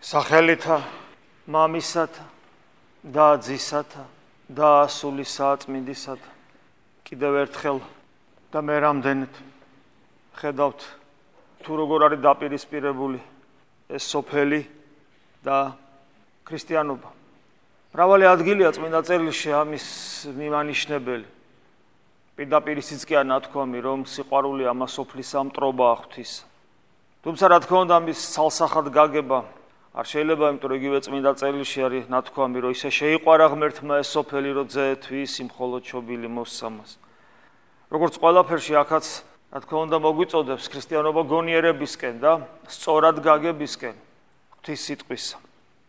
სახელითა მამისათა და ძისათა და სულისა წმინდისათა კიდევ ერთხელ და მე რამდენად ხედავთ თუ როგორ არის დაპირისპირებული ეს სოფელი და ქრისტიანობა. მრავალი ადგილია წმინდა წერილში ამის მიმანიშნებელი. პირდაპირ ისიც კი არ ნათქვამი, რომ სიყვარული ამა სოფლის ამტრობა ღვთის. თუმცა რა თქმა უნდა ამის ცალსახად გაგება არ შეიძლება, იმიტომ რომ იგივე წმინდა წერილში არის ნათქვამი, რომ ისე შეიყვარა ღმერთმა ეს სოფელი, რომ ძეთვის იმხოლოდ შობილი მოსსამას. როგორც ყველაფერში აქაც რა თქმა უნდა მოგვიწოდებს ქრისტიანობა გონიერებისკენ და სწორად გაგებისკენ ღვთის სიტყვისა.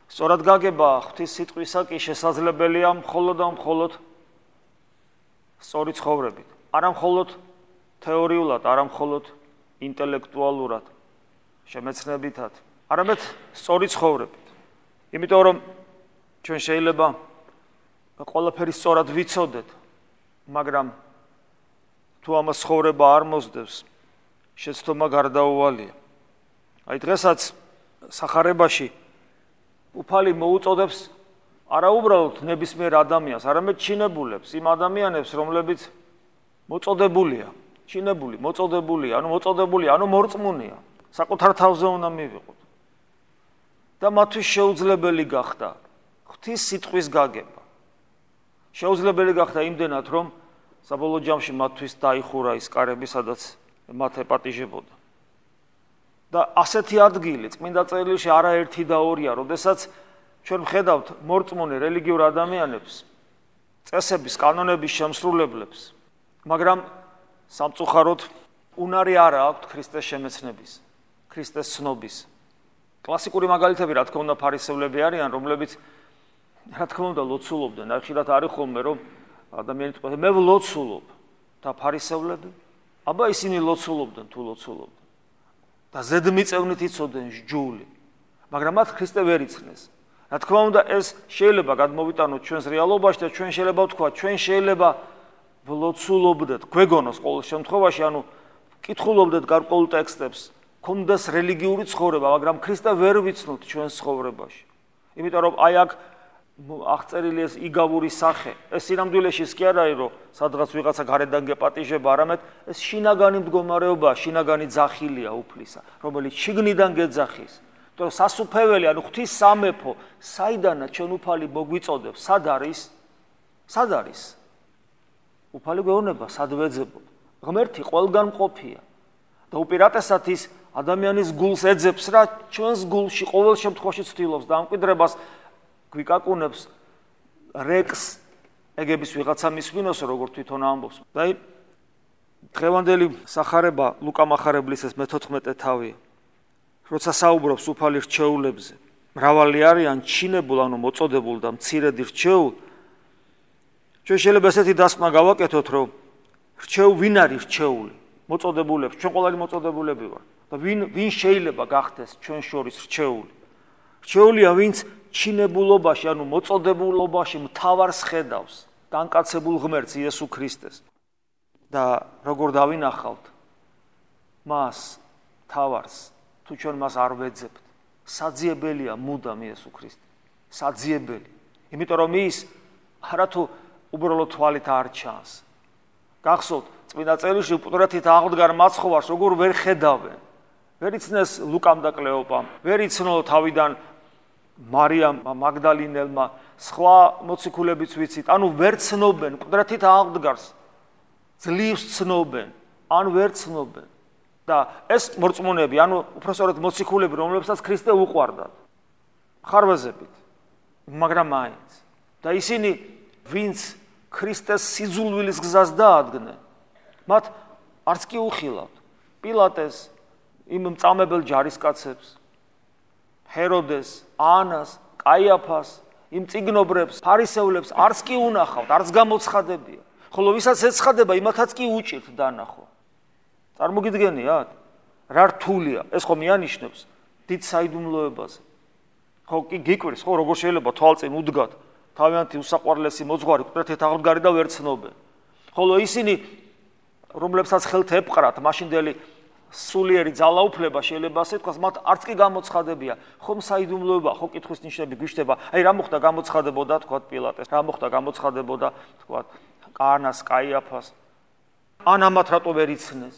სწორად გაგება ღვთის სიტყვისა კი შესაძლებელია მხოლოდ და მხოლოდ სწორი ცხოვრებით. არა მხოლოდ თეორიულად, არა მხოლოდ ინტელექტუალურად, შემეცნებითად, არამედ სწორი ცხოვრებით. იმიტომ რომ ჩვენ შეიძლება ყველაფერი სწორად ვიცოდეთ, მაგრამ თუ ამას ცხოვრება არ მოსდევს, შეცდომა გარდაუვალია. აი დღესაც სახარებაში უფალი მოუწოდებს არა უბრალოდ ნებისმიერ ადამიანს, არამედ ჩინებულებს, იმ ადამიანებს, რომლებიც მოწოდებულია, ჩინებული, მოწოდებულია, ანუ მორწმუნეა, საკუთარ თავზე უნდა მივიღოთ. და მათთვის შეუძლებელი გახდა ღვთის სიტყვის გაგება. შეუძლებელი გახდა იმდენად, რომ საბოლოო ჯამში მათთვის დაიხურა ის კარები, სადაც მათ ეპატიჟებოდა. და ასეთი ადგილი წმინდა წერილში არაერთი და ორია, როდესაც ჩვენ ვხედავთ მორწმუნე რელიგიურ ადამიანებს, წესების, კანონების შემსრულებლებს, მაგრამ სამწუხაროდ უნარი არა აქვთ ქრისტეს შემეცნების, ქრისტეს ცნობის. კლასიკური მაგალითები რა თქმა უნდა ფარისევლები არიან, რომლებიც რა თქმა უნდა ლოცულობდნენ. აი ხშირად არის ხოლმე რომ ადამიანი თქვა მე ვლოცულობ და ფარისევლები აბა ისინი ლოცულობდნენ თუ ლოცულობდნენ და ზედმიწევნით იცოდნენ ჯული, მაგრამ მათ ქრისტე ვერ იცნეს. რა თქმა უნდა ეს შეიძლება გადმოვიტანოთ ჩვენს რეალობაში და ჩვენ შეიძლება ვთქვათ, ჩვენ შეიძლება ვლოცულობდეთ, გვეგონოს ყოველ შემთხვევაში, ანუ კითხულობდეთ გარკვეულ ტექსტებს, გქონდეს რელიგიური ცხოვრება, მაგრამ ქრისტე ვერ ვიცნოთ ჩვენს ცხოვრებაში. იმიტომ რომ აი აქ აღწერილი ეს იგავური სახე, ეს სინამდვილეში ის კი არ არის, რომ სადღაც ვიღაცა გარედან გეპატიჟება, არამედ ეს შინაგანი მდგომარეობა, შინაგანი ძახილია უფლისა, რომელიც შიგნიდან გეძახის. იმიტომ რომ სასუფეველი, ანუ ღვთის სამეფო, საიდანაც ჩვენ უფალი მოგვიწოდებს, სად არის? სად არის? უფალი გვეუბნება, სად ვეძებოთ? ღმერთი ყველგან მყოფია და უპირატესად ის ადამიანის გულს ეძებს, რა ჩვენს გულში ყოველ შემთხვევაში ცდილობს და ამკვიდრებას გვიკაკუნებს რეკს ეგების ვიღაცა მისვინოს, როგორც თვითონ ამბობს. და აი დღევანდელი სახარება ლუკა მახარებლის ეს მე-14 თავია. როცა საუბრობს უფალი რჩეულებზე, მრავალი არიან ჩინებულ, ანუ მოწოდებულ და მცირედი რჩეულ. ჩვენ შეიძლება ესეთი დასკვნა გავაკეთოთ, რომ ვინ არის რჩეული? მოწოდებულებს, ჩვენ ყველანი მოწოდებულები ვართ. და ვინ შეიძლება გახდეს ჩვენ შორის რჩეული? რჩეულია ვინც ჩინებულობაში, ანუ მოწოდებულობაში მთავარს ხედავს, განკაცებულ ღმერთს იესო ქრისტეს. და როგორ დავინახავთ მას მთავარს, თუ ჩვენ მას არ ვეძებთ, საძიებელია მუდამ იესო ქრისტე. საძიებელი. იმიტომ რომ ის არათუ უბრალოდ თვალით არ ჩანს. გახსოვთ, წმინდა წერილში უპირატესად აღდგარ მაცხოვარს როგორ ვერ ხედავენ. ვერ იცნეს ლუკამ და კლეოპამ, ვერ იცნო თავიდან მარიამ მაგდალინელმა, სხვა მოციქულებიც ვიცით, ანუ ვერ ცნობენ, უპირატესად აღდგარს. ძლივს ცნობენ, ან ვერ ცნობენ. და ეს მორწმუნეები, ანუ უпростоრად მოციქულები, რომლებსაც ქრისტე უყვარდათ, ხარვეზებით, მაგრამ მაინც. და ისინი, ვინც ქრისტეს სიძულვილის გზას დაადგნენ, მათ არც კი უხილავთ პილატეს, იმ მწამებელ ჯარისკაცებს, ჰეროდეს, ანას, კაიაფას, იმ წიგნობრებს, ფარისევლებს არც კი უნახავთ, არც გამოცხადებია. ხოლო ვისაც ეცხადება, იმათაც კი უჭირთ დანახვა. წარმოგიდგენიათ? რა რთულია? ეს ხო მიანიშნებს დიდ საიდუმლოებაზე. ხო კი გიკვირს, ხო როგორ შეიძლება თვალწინ უდგათ თავიანთი უსაყვარლესი მოძღვარი, უპირატესად აღდგარი და ვერ ცნობენ. ხოლო ისინი, რომლებსაც ხელთ ეპყრათ, მაშინდელი სულიერი ძალაუფლება შეიძლება ასე თქვას, მათ არც კი გამოცხადებია. ხომ საიდუმლოება, ხო კითხვის ნიშნები გვიშდება. აი რა მოხდა გამოცხადებოდა თქვა პილატეს, რა მოხდა გამოცხადებოდა თქვა კანას, კაიაფას. ან ამათ რატო ვერ იცნეს?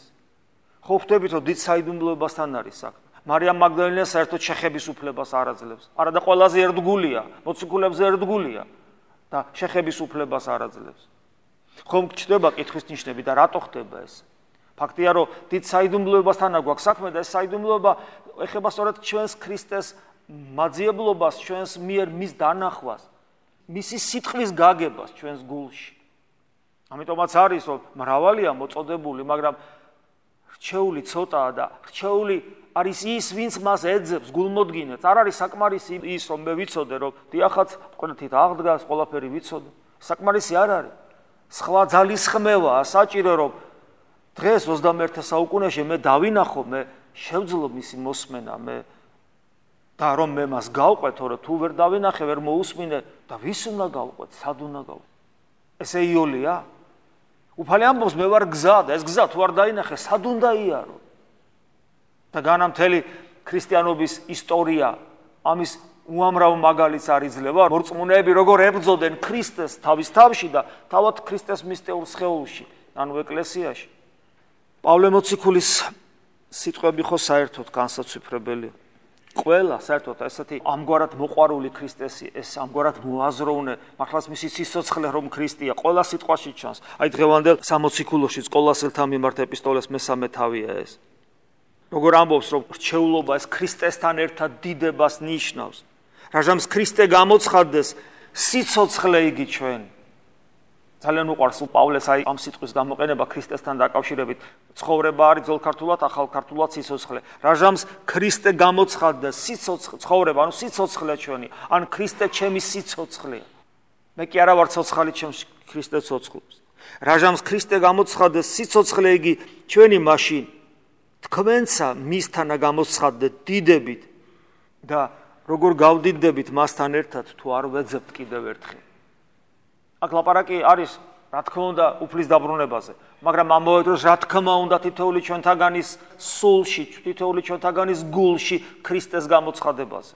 ხო ხვდებით რომ დიდ საიდუმლოებასთან არის საქმე. მარიამ მაგდალენა საერთოდ შეხების უფლებას არ აძლევს. არა და ყველაზე ერთგულია, მოციქულებზე ერთგულია და შეხების უფლებას არ აძლევს. ხომ გჩნდება კითხვის ნიშნები და რატო ხდება ეს? ფაქტია რომ დიდ საიდუმლოებასთან გვაქვს საქმე და ეს საიდუმლოება ეხება სწორედ ჩვენს ქრისტეს მაძიებლობას, ჩვენს მიერ მის დანახვას, მისი სიტყვის გაგებას ჩვენს გულში. ამიტომაც არის რომ მრავალია მოწოდებული, მაგრამ რჩეული ცოტაა და რჩეული არის ის, ვინც მას ეძებს გულმოდგინედ. არ არის საკმარისი ის, რომ მე ვიცოდე, რომ დიახაც ყველეთით აღდგას, ყველაფერი ვიცოდე. საკმარისი არ არის. სხვა ძალისხმევაა საჭირო, რომ დღეს 21 საუკუნეში მე დავინახო, მე შევძლო მისი მოსმენა, და რომ მე მას გავყვეთო, რომ თუ ვერ დავინახე, ვერ მოусმინე და ვის უნდა გავყვეთ, სად უნდა გავყვეთ? ესე იოლია? უფალი ამბობს, მე ვარ გზა და ეს გზა თუ არ დაინახე, სად უნდა იარო? და განამთელი ქრისტიანობის ისტორია ამის უამრავ მაგალითს არ იძლევა. მორწმუნეები როგორ ებრძოდნენ ქრისტეს თავის თავში და თავად ქრისტეს მისტეურ სხეულში, ანუ ეკლესიაში. პავლე მოციქულის სიტყვები ხო საერთოდ განსაცვიფრებელია. ყველა საერთოდ ესეთი ამგვარად მოყვარული ქრისტესი, ეს ამგვარად მოაზროვნე, მართლაც მისი სიცოცხლე რომ ქრისტეა, ყველა სიტყვაში ჩანს. აი დღევანდელ სამოციქულოშიც ყოლასელთა მიმართ ეპისტოლეს მესამე თავია ეს. როგორ ამბობს, რომ რჩეულობა ეს ქრისტესთან ერთად დიდებას ნიშნავს. რაჟამს ქრისტე გამოცხადდეს, სიცოცხლე იგი ჩვენ. ძალიან უყვარს პავლეს აი ამ სიტყვის გამოყენება ქრისტესთან დაკავშირებით. ცხოვრება არის ძველ ქართულად, ახალ ქართულად სიცოცხლე. რაჟამს ქრისტე გამოცხადდეს, ცხოვრება, ანუ სიცოცხლე ჩვენი, ან ქრისტე ჩემი სიცოცხლეა. მე კი არა ვარ ცოცხალი, ჩემს ქრისტე ცოცხლობს. რაჟამს ქრისტე გამოცხადდეს, სიცოცხლე იგი ჩვენი მაშინ თქვენცა მისთანა გამოცხადდეთ დიდებით და როგორ გავდიდებით მასთან ერთად თუ არ ვეძებთ კიდევ ერთხელ. აქ ლაპარაკი არის, რა თქმა უნდა, უფლის დაბრუნებაზე, მაგრამ ამავე დროს რა თქმა უნდა თითოეული ჩვენთაგანის სულში, თითოეული ჩვენთაგანის გულში ქრისტეს გამოცხადებაზე.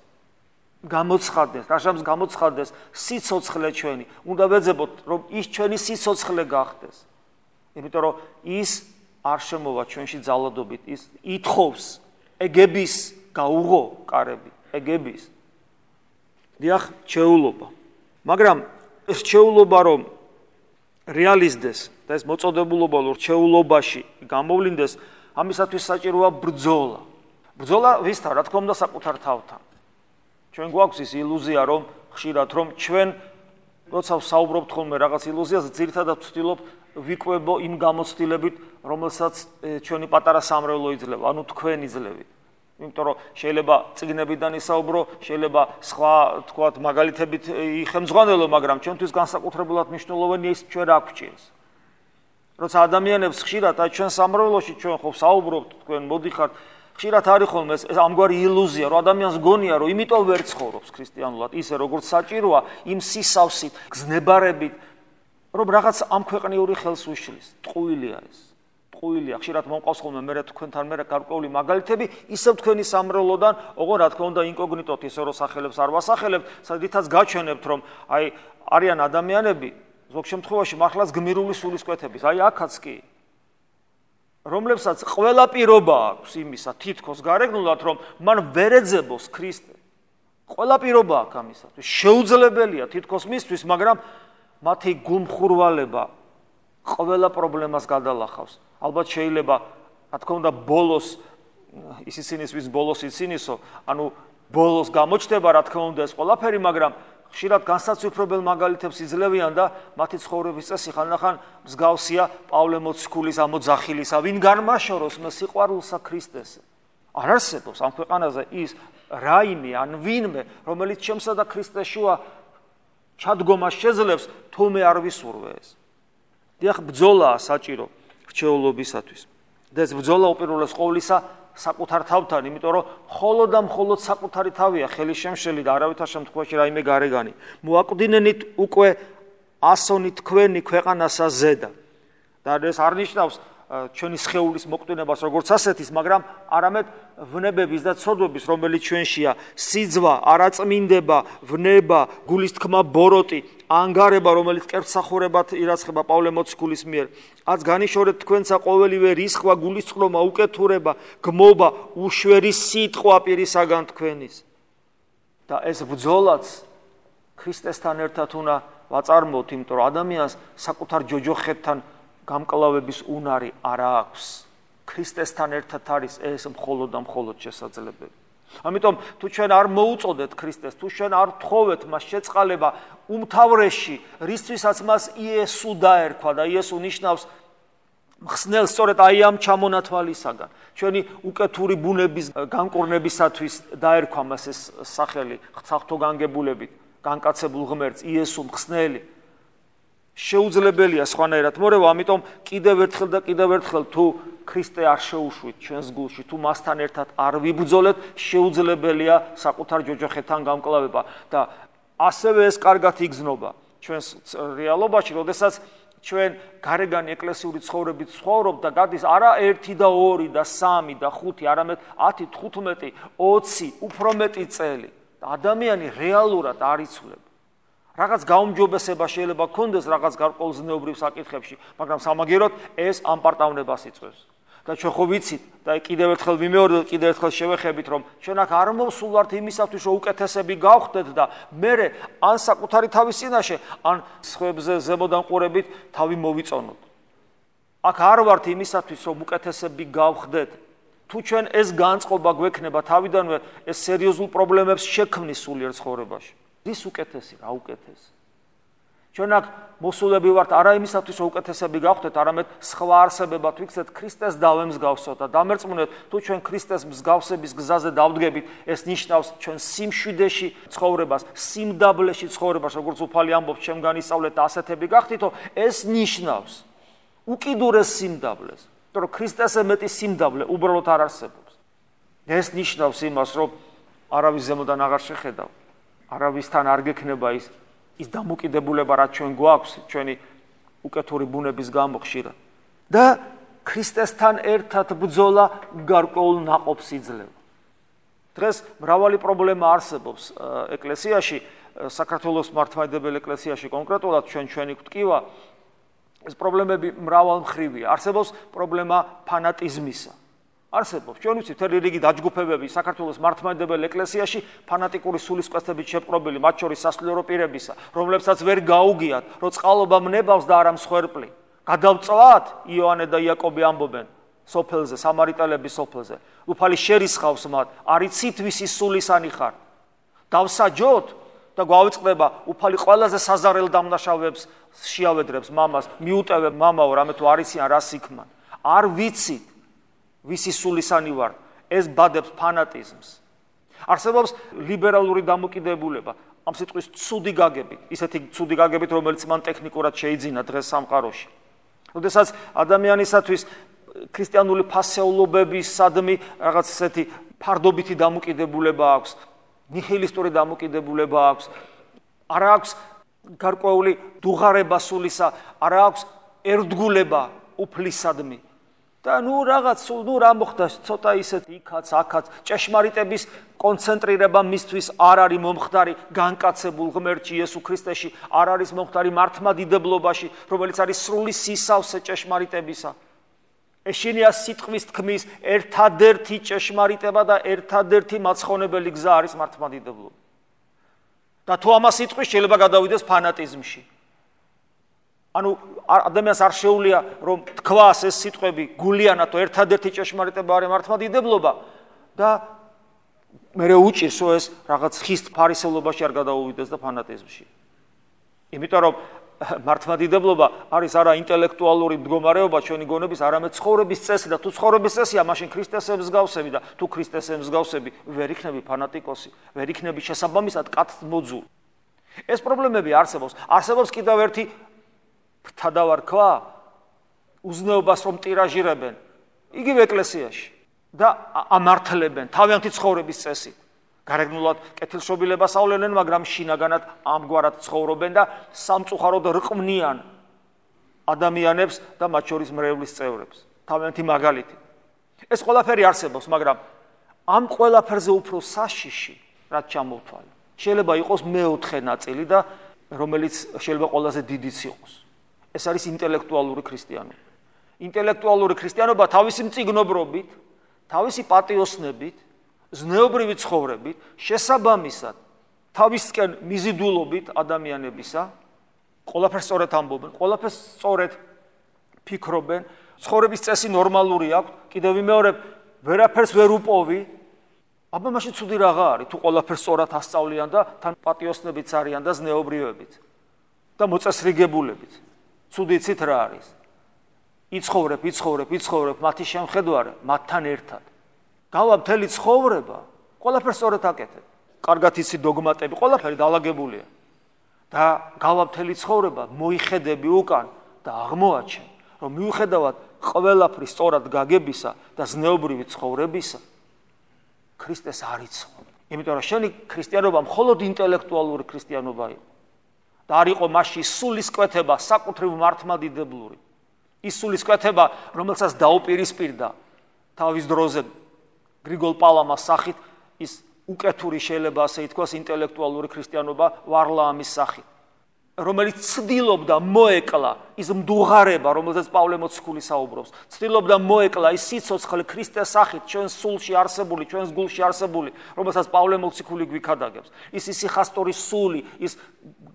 გამოცხადდეს, რაჟამს გამოცხადდეს სიცოცხლე ჩვენი. უნდა ვეძებოთ, რომ ის ჩვენი სიცოცხლე გახდეს. იმიტომ რომ ის არ შემოვა ჩვენში ძალადობით, ის ითხოვს ეგების გაუღო კარები, ეგების. დიახ, რჩეულობა. მაგრამ ეს რჩეულობა რომ რეალიზდეს და ეს მოწოდებულობა რომ რჩეულობაში გამოვლინდეს, ამისათვის საჭიროა ბრძოლა. ბრძოლა ვისთან? რა თქმა უნდა საკუთარ თავთან. ჩვენ გვაქვს ის ილუზია რომ ხშირად რომ ჩვენ როცა ვსაუბრობთ ხოლმე რაღაც ილუზიაზე, ძირითადად ვცდილობ ვიკვებო იმ გამოცდილებით, რომელსაც ჩვენი პატარა სამრევლო იძლევა, ანუ თქვენ იძლევით. იმიტომ რომ შეიძლება წიგნებიდან ისაუბრო, შეიძლება სხვა თქვათ მაგალითებით იხემძღვანელო, მაგრამ ჩვენთვის განსაკუთრებულად მნიშვნელოვანია ის ჩვენ რა გვჭირს. როცა ადამიანებს ხშირად აი ჩვენ სამრევლოში ჩვენ ხო საუბრობთ, თქვენ მოდიხართ, ხშირად არის ხოლმე ეს ამგვარი ილუზია, რომ ადამიანს გონია, რომ იმიტომ ვერ ცხოვრობს ქრისტიანულად, ისე როგორც საჭიროა, იმ სისავსით, გზნებარებით, რომ რაღაც ამ ქვეყნიური ხელს უშლის. ტყუილია ეს. ტყუილია. ხშირად მომყავს ხოლმე მე თქვენთან მე გარკვეული მაგალითები, ისევ თქვენი სამრევლოდან, ოღონდ რა თქმა უნდა ინკოგნიტოთ ისე რომ სახელებს არ ვასახელებთ, სადითაც გაჩვენებთ, რომ აი არიან ადამიანები, ზოგ შემთხვევაში მართლაც გმირული სულისკვეთების, აი აქაც კი რომლებსაც ყველა პირობა აქვს იმისა, თითქოს გარეგნულად, რომ მან ვერ ეძებოს ქრისტე. ყველა პირობა აქვს ამისათვის. შეუძლებელია თითქოს მისთვის, მაგრამ მათი გულმხურვალება ყველა პრობლემას გადალახავს. ალბათ შეიძლება, რა თქმა უნდა, ბოლოს ისიცინის ვის ბოლოს იცინისო, ანუ ბოლოს გამოჩნდება, რა თქმა უნდა, ეს ყველაფერი, მაგრამ ხშირად განსაცვიფრებელ მაგალითებს იძლევიან და მათი ცხოვრების წესი ხანდახან მსგავსია პავლე მოციქულის ამოძახილისა, ვინ განმაშოროს მე სიყვარულსა ქრისტესე. არ არსებობს ამ ქვეყანაზე ის რაიმე ან ვინმე, რომელიც ჩემსა და ქრისტეს შუა ჩადგომას შეძლებს, თუ მე არ ვისურვე ეს. დიახ, ბრძოლაა საჭირო რჩეულობისათვის. და ეს ბრძოლა უპირველეს ყოვლისა საკუთარ თავთან, იმიტომ რომ მხოლოდ და მხოლოდ საკუთარი თავია ხელი შემშელი და არავითარ შემთხვევაში რაიმე გარეგანი. მოაკვდინენით უკვე ასონი თქვენი ქვეყანასა ზედა. და ეს არ ნიშნავს ჩვენი სხეულის მოკვდინებას როგორც ასეთის, მაგრამ არამედ ვნებების და ცოდვების, რომელიც ჩვენშია, სიძვა, არაწმინდება, ვნება, გულის თქმა ბოროტი, ანგარება, რომელიც კერძსახურებად ირაცხება პავლე მოციქულის მიერ. აც განიშორეთ თქვენცა ყოველივე რისხვა, გულისწყრომა, უკეთურება, გმობა, უშვერი სიტყვა პირისაგან თქვენის. და ეს ბრძოლაც ქრისტესთან ერთად უნდა ვაწარმოოთ, იმიტომ რომ ადამიანს საკუთარ ჯოჯოხეთთან გამკლავების უნარი არ აქვს. ქრისტესთან ერთად არის ეს მხოლოდ და მხოლოდ შესაძლებელი. ამიტომ თუ ჩვენ არ მოუწოდეთ ქრისტეს, თუ ჩვენ არ თხოვეთ მას შეწყალება უმთავრესში, რისთვისაც მას იესო დაერქვა და იესო ნიშნავს მხსნელს სწორედ აი ამ ჩამონათვალისაგან. ჩვენი უკეთური ბუნების განკურნებისათვის დაერქვა მას ეს სახელი, ღვთაతో განგებულებით, განკაცებულ ღმერთს, იესო მხსნელი. შეუძლებელია სხვანაირად მორევა, ამიტომ კიდევ ერთხელ თუ ქრისტე არ შეუშვით ჩვენს გულში, თუ მასთან ერთად არ ვიბრძოლეთ, შეუძლებელია საკუთარ ჯოჯოხეთთან გამკლავება და ასევე ეს კარგად იგრძნობა ჩვენს რეალობაში, როდესაც ჩვენ გარეგანი ეკლესიური ცხოვრებით ცხოვრობ და გადის არა 1 და 2 და 3 და 5, არამედ 10, 15, 20, უფრო მეტი წელი. ადამიანი რეალურად არ იცვლება. რაღაც გაუმჯობესება შეიძლება ქონდეს რაღაც გარკვეულზნეობრივ საკითხებში, მაგრამ სამაგიეროდ ეს ამპარტავნებას იწვევს. და ჩვენ ხო ვიცით და კიდევ ერთხელ ვიმეორებთ, კიდევ ერთხელ შევეხებით, რომ ჩვენ აქ არ მოვსულვართ იმისათვის, რომ უკეთესები გავხდეთ და მერე ან საკუთარი თავის წინაშე, ან სხვებზე ზემოდან ყურებით თავი მოვიწონოთ. აქ არ ვართ იმისათვის, რომ უკეთესები გავხდეთ. თუ ჩვენ ეს განწყობა გვექნება თავიდანვე, ეს სერიოზულ პრობლემებს შექმნის სულიერ ცხოვრებაში. რის უკეთესი, რა უკეთესი? ჩვენ აქ მოსულები ვართ არა იმისათვის, რომ უკეთესები გავხდეთ, არამედ სხვა არსებებად ვიქცეთ ქრისტეს დავემსგავსოთ და დამერწმუნეთ, თუ ჩვენ ქრისტეს მსგავსების გზაზე დავდგებით, ეს ნიშნავს ჩვენ სიმშვიდეში ცხოვრებას, სიმდაბლეში ცხოვრებას, როგორც უფალი ამბობს, ჩემგან ისწავლეთ და ასეთები გახდითო, ეს ნიშნავს უკიდურეს სიმდაბლეს. რომ ქრისტესზე მეტი სიმდაბლე უბრალოდ არ არსებობს. ეს ნიშნავს იმას, რომ არავის ზემოდან აღარ შეხედავ, არავისთან არ გექნება ის დამოკიდებულება, რაც ჩვენ გვაქვს, ჩვენი უკეთური ბუნების გამო ხშირად. და ქრისტესთან ერთად ბრძოლა გარკვეულ ნაყოფს იძლევა. დღეს მრავალი პრობლემა არსებობს ეკლესიაში, საქართველოს მართლმადიდებელ ეკლესიაში კონკრეტულად ჩვენი გვტკივა, ეს პრობლემები მრავალმხრივია. არსებობს პრობლემა ფანატიზმისა. არსებობს, ჩვენ ვიცით, მთელი რიგი დაჯგუფებები საქართველოს მართლმადიდებელ ეკლესიაში ფანატიკური სულისკვეთებით შეპყრობილი, მათ შორის სასულიერო პირებისა, რომლებსაც ვერ გაუგიათ, რომ წყალობა მნებავს და არა მსხვერპლი. გადავწვათ, იოანე და იაკობი ამბობენ სოფელზე, სამარიტელების სოფელზე. უფალი შერისხავს მათ, არიცით ვისი სულისანი ხარ. დავსაჯოთ და გვავიწყდება, უფალი ყველაზე საზარელ დამნაშავეებს შეავედრებს მამას, მიუტევებ მამაო, რამე თუ არიციან რას იქმან. არ ვიცით ვისი სულისანი ვარ, ეს ბადებს ფანატიზმს. არსებობს ლიბერალური დამოკიდებულება, ამ სიტყვის ცუდი გაგებით, ისეთი ცუდი გაგებით, რომელიც მან ტექნიკურად შეიძინა დღეს სამყაროში. როდესაც ადამიანისათვის ქრისტიანული ფასეულობებისადმი რაღაც ესეთი ფარდობითი დამოკიდებულება აქვს, ნიჰილისტური დამოკიდებულება აქვს, არ აქვს გარკვეული დუღარება სულისა, არ აქვს ერთგულება უფლისადმი. და რა მოხდა, ცოტა ისეთ იქაც, აქაც, ჭეშმარიტების კონცენტრირება მისთვის არ არის მომხდარი განკაცებულ ღმერთში, იესო ქრისტეში, არ არის მომხდარი მართლმადიდებლობაში, რომელიც არის სრული სისავსე ჭეშმარიტებისა. ეშინია სიტყვის თქმის ერთადერთი ჭეშმარიტება და ერთადერთი მაცხონებელი გზა არის მართლმადიდებლობა. და თუ ამას სიტყვის შეიძლება გადავიდეს ფანატიზმში. ანუ ადამიანს არ შეუძლია რომ თქვას ეს სიტყვები გულიანად ერთადერთი ჭეშმარიტება არის მართლმადიდებლობა და მერე უჭირსო ეს რაღაც ხისტ ფარისევლობაში არ გადაუვიდეს და ფანატიზმში. იმიტომ რომ მართლმადიდებლობა არის არა ინტელექტუალური მდგომარეობა ჩვენი გონების, არამედ ცხოვრების წესი და თუ ცხოვრების წესია, მაშინ ქრისტეს ემსგავსები და თუ ქრისტეს ემსგავსები ვერ იქნები ფანატიკოსი, ვერ იქნები შესაბამისად კაცმოძული. ეს პრობლემები არსებობს. არსებობს კიდევ ერთი ფთადავარქვა უზნეობას რომ ტირაჟირებენ იგივე ეკლესიაში და ამართლებენ თავიანთი ცხოვრების წესით. გარეგნულად კეთილშობილებას ავლენენ, მაგრამ შინაგანად ამგვარად ცხოვრობენ და სამწუხაროდ რყმნიან ადამიანებს და მათ შორის მრევლის წევრებს. თავიანთი მაგალითი. ეს ყველაფერი არსებობს, მაგრამ ამ ყველაფერზე უფრო საშიში, რაც ჩამოვთვალე. შეიძლება იყოს მეოთხე ნაწილი და რომელიც შეიძლება ყველაზე დიდიც იყოს. ეს არის ინტელექტუალური ქრისტიანობა. ინტელექტუალური ქრისტიანობა თავისი მწიგნობრობით, თავისი პატიოსნებით, ზნეობრივი ცხოვრებით, შესაბამისად, თავისკენ მიზიდულობით ადამიანებისა, ყველაფერს სწორად ამბობენ, ყველაფერს სწორად ფიქრობენ, ცხოვრების წესი ნორმალური აქვს, კიდევ ვიმეორებ, ვერაფერს ვერ უპოვი. აბა მაშინ ცუდი რაღა არის, თუ ყველაფერს სწორად ასწავლიან და თან პატიოსნებიც არიან და ზნეობრიობებიც და მოწესრიგებულებიც. ცუდი იცით რა არის? იცხოვრებ, მათი შემხედვარე, მათთან ერთად. გავა მთელი ცხოვრება, ყველაფერს სწორად აკეთებ. კარგად იცი დოგმატები, ყველაფერი დაალაგებულია. და გავა მთელი ცხოვრება, მოიხედები უკან და აღმოაჩენ, რომ მიუხედავად ყველაფრის სწორად გაგებისა და ზნეობრივი ცხოვრებისა, ქრისტეს არ იცნობ. იმიტომ რომ შენი ქრისტიანობა მხოლოდ ინტელექტუალური ქრისტიანობა იყო. და არ იყო მასში სულისკვეთება საკუთრივ მართლმადიდებლური. ის სულისკვეთება, რომელსაც დაუპირისპირდა თავის დროზე გრიგოლ პალამას სახით ის უკეთური შეიძლება ასე ითქვას ინტელექტუალური ქრისტიანობა ვარლაამის სახით, რომელიც ცდილობდა მოეკლა ის მდუღარება, რომელზეც პავლე მოციქული საუბრობს, ცდილობდა მოეკლა ის სიცოცხლე ქრისტეს სახით, ჩვენს სულში არსებული, ჩვენს გულში არსებული, რომელსაც პავლე მოციქული გვიქადაგებს. ის სიხასტორის სული, ის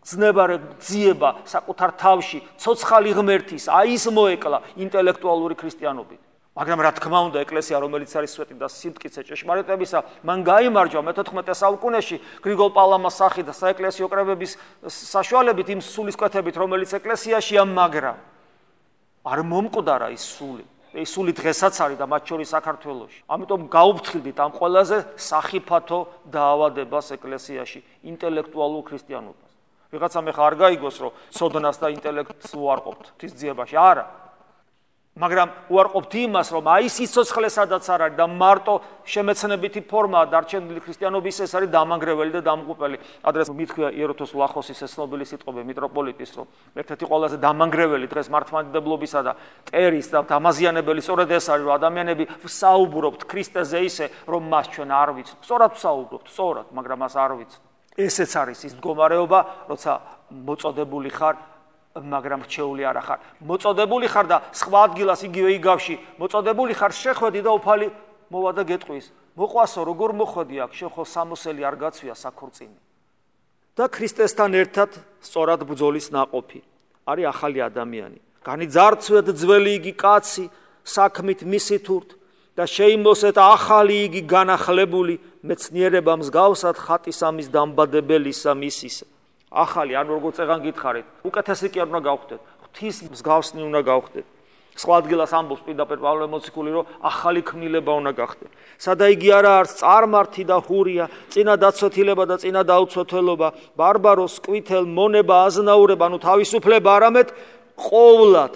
ძნებარე ძიება საკუთარ თავში, ცოცხალი ღმერთის, აი ის მოეკლა ინტელექტუალური ქრისტიანობით. მაგრამ რა თქმა უნდა, ეკლესია, რომელიც არის სვეტი და სიმტკიცე ჭეშმარიტებისა, მან გაიმარჯვა მე-14 საუკუნეში გრიგოლ პალამას სახით და საეკლესიო კრებების საშუალებით იმ სულისკვეთებით, რომელიც ეკლესიაშია, მაგრამ არ მომკვდარა ის სული. ეს სული დღესაც არის და მათ შორის საქართველოში. ამიტომ გაუფრთხილდით ამ ყველაზე სახიფათო დაავადებას ეკლესიაში, ინტელექტუალურ ქრისტიანობას. ვიღაცამ ახლა არ გაიგოს, რომ სოდნას და ინტელექტს უარყოფთ ღვთის ძიებაში, არა. მაგრამ უარყოფთ იმას, რომ აი სიცოცხლე სადაც არ არის და მარტო შემეცნებითი ფორმაა დარჩენილი ქრისტიანობის, ეს არის დამანგრეველი და დამღუპელი. ადრეს მithქვია იეროთოს ვლახოსის ეს ცნობილი სიტყვები მიტროპოლიტის, რომ ერთ-ერთი ყველაზე დამანგრეველი დღეს მართლმადიდებლობისა და ტერის და დამაზიანებელი სწორედ ეს არის, რომ ადამიანები ვსაუბრობთ ქრისტეზე ისე, რომ მას ჩვენ არ ვიცნობთ. სწორად ვსაუბრობთ, სწორად, მაგრამ მას არ ვიცნობთ. ესეც არის ის მდგომარეობა, როცა მოწოდებული ხარ, მაგრამ რჩეული არ ხარ. მოწოდებული ხარ და სხვა ადგილას იგივე იგავში, მოწოდებული ხარ, შეხვედი და უფალი მოვა და გეტყვის. მოყვასო, როგორ მოხვედი აქ, შენ ხო სამოსელი არ გაცვია საქორწინე. და ქრისტესთან ერთად სწორად ბრძოლის ნაყოფი არის ახალი ადამიანი. განიძარცვეთ ძველი იგი კაცი, საქმით მისითურთ და შეიმოსეთ ახალი იგი განახლებული მეცნიერება მსგავსად ხატისამის დამბადებელისა მისისა. ახალი, ანუ როგორც ეგან გითხარით, უკეთესი კი არ უნდა გავხდეთ, ღვთის მსგავსნი უნდა გავხდეთ. სხვა ადგილას ამბობს პირდაპირ პავლე მოციქული, რომ ახალი ქმნილება უნდა გახდეთ. სადა იგი არა არის წარმართი და ჰურია, წინა დაცვეთილება და წინა დაუცვეთელობა, ბარბაროს, კვითელ, მონება, აზნაურება, ანუ თავისუფლება, არამედ ყოვლად.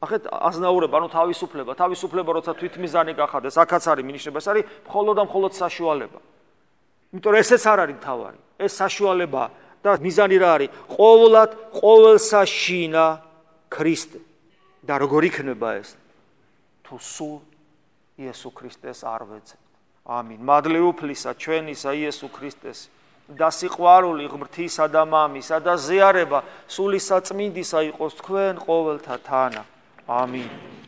ახეთ აზნაურება, ანუ თავისუფლება, როცა თვითმიზანი გახადეს, აქაც არის მინიშნება, ეს არის მხოლოდ და მხოლოდ საშუალება. იმიტომ რომ ესეც არ არის მთავარი, ეს საშუალება და მიზანი რა არის? ყოვლად, ყოველსა შინა ქრისტე. და როგორ იქნება ეს? თუ სულ იესო ქრისტეს არ ვეძებთ. ამინ. მადლი უფლისა ჩვენისა იესო ქრისტეს და სიყვარული ღმრთისა და მამისა და ზიარება სული საწმინდისა იყოს თქვენ ყოველთა თანა. ამინ.